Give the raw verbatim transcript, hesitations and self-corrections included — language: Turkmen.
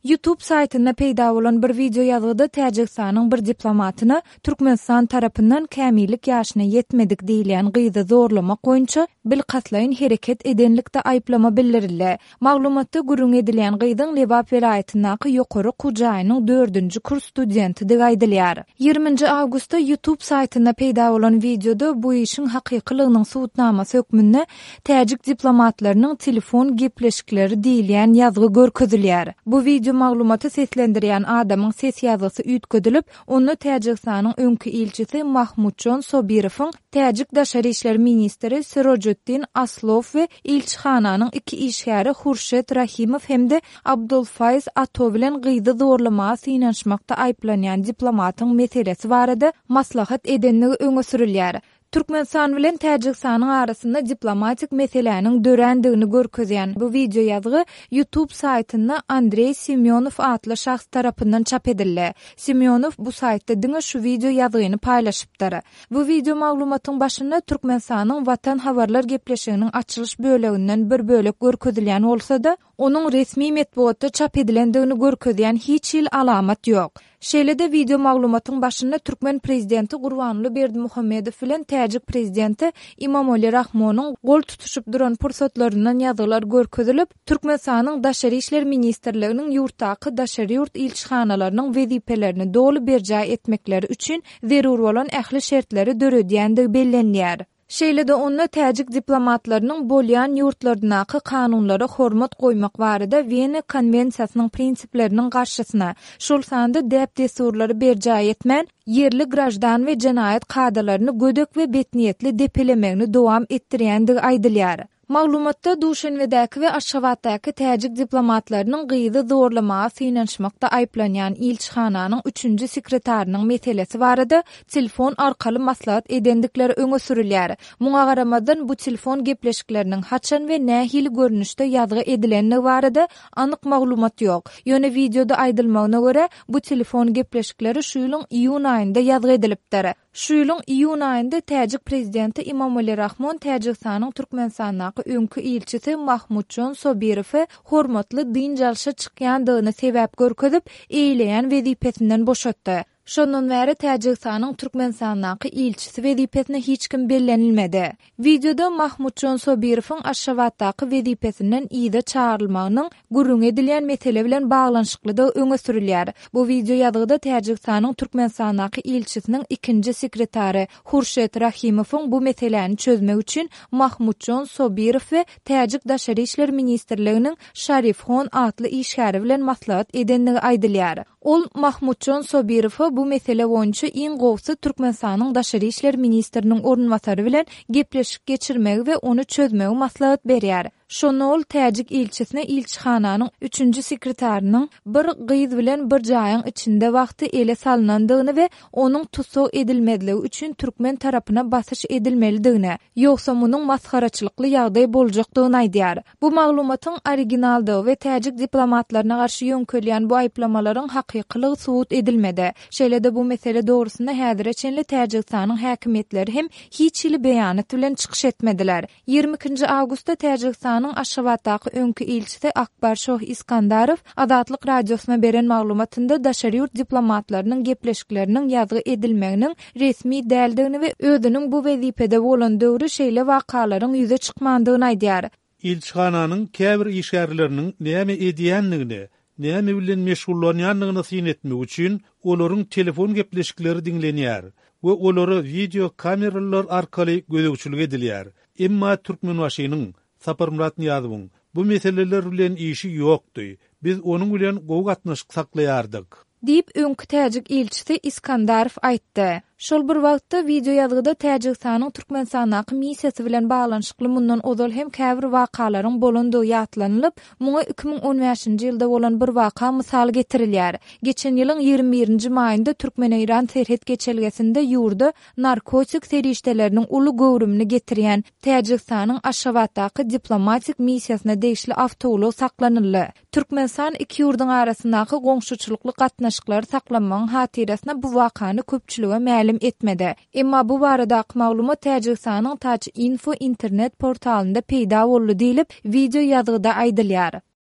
YouTube saýtynda peýda bolan bir wideo ýazgyda Täjigistanyň bir diplomatyna Türkmenistan tarapyndan kämillik ýaşyna ýetmedik diýilýän gyzy zorlamak boýunça bilkastlaýyn hereket edenlikde aýyplama bildirildi. Maglumatda gürrüňi edilýän gyzyň Lebap welaýatyndaky ýokary okuw jaýynyň dördünji kurs studentidigi aýdylýar. Ýigriminji awgustda YouTube saýtynda peýda bolan wideoda bu işiň hakykylygynyň subutnamasy hökmünde täjik diplomatlarynyň telefon gepleşikleri diýilýän ýazgy görkezilýär. Bu wideo maglumaty seslendirýän adamyň ses ýazgysy üýtgedilip, onda Täjigistanyň öňki ilçisi Mahmutjon Sobirowyň täjik daşary işler ministri Sirojiddin Aslow we ilçihananyň iki işgäri Hurşet Rahimow hem-de Abdulfaýz Ato bilen gyzy zorlamaga synanyşmakda aýyplanýan diplomatyň meselesi barada maslahat edenligi öňe sürülýär. Türkmenistan bilen Täjigistanyň arasynda diplomatik meseläniň dörändigini görkezýän bu wideo ýazgy YouTube saýtynda Andreý Semýonow atly şahs tarapyndan çap edildi. Semýonow bu saýtda diňe şu wideo ýazgyny paýlaşypdyr. Bu wideo maglumatyň başynda Türkmenistanyň Watan habarlar gepleşiginiň açylyş böleginden bir bölek görkezilýän bolsa-da, onuň resmi metbugatda çap edilendigini görkezýän hiç hili alamat ýok. Şeýle-de wideo maglumatyň başynda türkmen prezidenti Gurbanguly Berdimuhamedow bilen täjik prezidenti Imomali Rahmonyň gol tutuşyp duran pursatlaryndan ýazgylar görkezilip, Türkmenistanyň Daşary işler ministrliginiň ýurtdaky daşary ýurt ilçihanalarynyň wezipelerini doly berjaý etmekleri üçin zerur bolan ähli şertleri döredýändigi bellenilýär. Şeýle-de onda täjik diplomatlarynyň bolýan ýurtlaryndaky kanunlara hormat goýmak barada Wena konwensiýasynyň prinsipleriniň garşysyna, şol sanda däp-dessurlary berjaý etmän, ýerli graždan we jenaýat kadalaryny gödek we betniýetli depelemegini dowam etdirýändigi aýdylýar. Maglumatda Duşenbedäki we Aşgabatdaky täjik diplomatlarynyň gyzy zorlamaga synanyşmakda aýyplanýan ilçihananyň üçünji sekretarynyň meselesi barada telefon arkaly maslahat edendikleri öňe sürülýär. Muňa garamazdan, bu telefon gepleşikleriniň haçan we nähili görnüşde ýazgy edilendigi barada anyk maglumat ýok. Ýöne wideoda aýdylmagyna görä, bu telefon gepleşikleri şu ýylyň iýun aýynda ýazgy edilipdir. Şu ýylyň iýun aýynda täjik prezidenti Imomali Rahmon Täjigistanyň Türkmenistandaky öňki ilçisi Mahmutjon Sobirowy hormatly dynç alşa çykýandygyny sebäp görkezip, eýeleýän wezipesinden boşatdy. Şondan bäri Täjigistanyň Türkmenistandaky ilçisi wezipesine hiç kim bellenilmedi. Wideoda Mahmutjon Sobirowyň Aşgabatdaky wezipesinden yza çagyrylmagynyň gürrüňi edilýän mesele bilen baglanyşyklydygy öňe sürülýär. Bu wideo ýazgyda Täjigistanyň Türkmenistandaky ilçisiniň ikinji sekretary Hurşet Rahimowyň bu meseläni çözmek üçin Mahmutjon Sobirow we Täjik Daşary işler ministrliginiň Şarifhon atly işgäri bilen maslahat edendigi aýdylýar. Ol Mahmutjon Sobirowa bu mesele boýunça iň gowusy Türkmenistanyň Daşary işler ministriniň orunbasary bilen gepleşik geçirmegi we ony çözmegi maslahat berýär. Şonda ol täjik ilçisine ilçihananyň üçünji sekretarynyň bir gyz bilen bir jaýyň içinde wagty ele salnandygyny we onuň tussag edilmezligi üçin türkmen tarapyna basyş edilmelidigini, ýogsa munuň masgaraçylykly ýagdaý boljakdygyny aýdýar. Bu maglumatyň originaldygy we täjik diplomatlaryna garşy ýöňkelýän bu aýyplamalaryň hakykylygy subut edilmedi. Şeýle-de bu mesele dogrusynda häzire çenli Täjigistanyň häkimiýetleri hem hiç hili beýanat bilen çykyş etmediler. Ýigrimi ikinji awgustda Täjigistanyň Aşgabatdaky öňki ilçisi Akbarşoh Iskandarow Azatlyk Radiosyna beren maglumatynda daşary ýurt diplomatlarynyň gepleşikleriniň ýazgy edilmeginiň resmi däldigini we özüniň bu wezipede bolan döwri şeýle wakalaryň ýüze çykmandygyny aýdýar. Ilçihananyň käbir işgärleriniň näme edýändigine, näme bilen meşgullanýandygyna syn etmek üçin olaryň telefon gepleşikleri diňlenýär we olara wideo kameralar arkaly gözegçilik edilýär. Emma Türkmenbaşynyň, Saparmyrat Nyýazowyň bu meseleler bilen işi ýokdy. Biz onuň bilen gowy gatnaşyk saklaýardyk. Diýip, öňki täjik ilçisi Iskandarow aýtdy. Şol bir wagtda, wideoýazgyda Täjigistanyň Türkmenistandaky missiýasy bilen baglanyşykly mundan ozal hem käbir wakalaryň bolandygy ýatlanylyp, muňa iki müň on bäşinji ýylda bolan bir waka mysal getirilýär. Geçen ýylyň ýigrimi birinji maýynda türkmen-eýran serhet geçelgesinde ýurda narkotik serişdeleriniň uly göwrümini getirýän Täjigistanyň Aşgabatdaky diplomatik missiýasyna degişli awtoulag saklanyldy. Türkmenistan iki ýurduň arasyndaky goňşuçylykly gatnaşyklary saklamagyň hatyrasyna bu wakany köpçülige mälim etmedi. Emma bu baradaky maglumat Täjigistanyň Taj Info internet portalynda peýda boldy diýlip, wideo ýazgyda aýdylýar.